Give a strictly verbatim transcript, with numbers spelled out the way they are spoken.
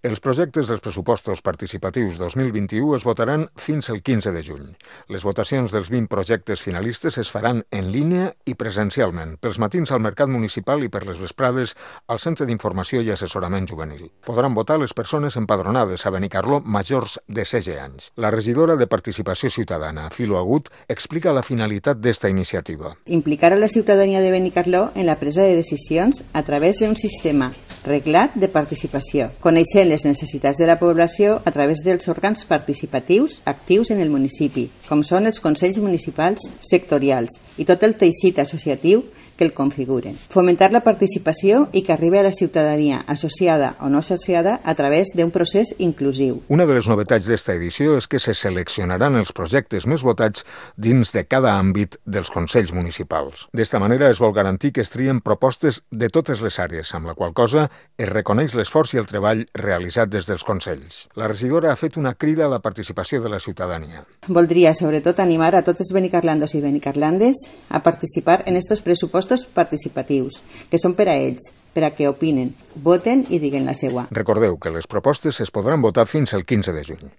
Els projectes dels pressupostos participatius dos mil vint-i-u es votaran fins el quinze de juny. Les votacions dels vint projectes finalistes es faran en línia i presencialment, pels matins al Mercat Municipal i per les vesprades al Centre d'Informació i Assessorament Juvenil. Podran votar les persones empadronades a Benicarló majors de setze anys. La regidora de Participació Ciutadana, Filo Agut, explica la finalitat d'esta iniciativa. Implicar a la ciutadania de Benicarló en la presa de decisions a través d'un sistema reglat de participació, coneixent les necessitats de la població a través dels òrgans participatius actius en el municipi, com són els consells municipals sectorials i tot el teixit associatiu que el configuren. Fomentar la participació i que arribi a la ciutadania associada o no associada a través d'un procés inclusiu. Una de les novetats d'esta edició és que se seleccionaran els projectes més votats dins de cada àmbit dels consells municipals. D'esta manera es vol garantir que es trien propostes de totes les àrees, amb la qual cosa es reconeix l'esforç i el treball realitzat des dels consells. La regidora ha fet una crida a la participació de la ciutadania. Voldria sobretot animar a tots els benicarlandos i benicarlandes a participar en estos pressupostos participatius, que són per a ells, per a que opinen, voten i diguen la seua. Recordeu que les propostes es podran votar fins el quinze de juny.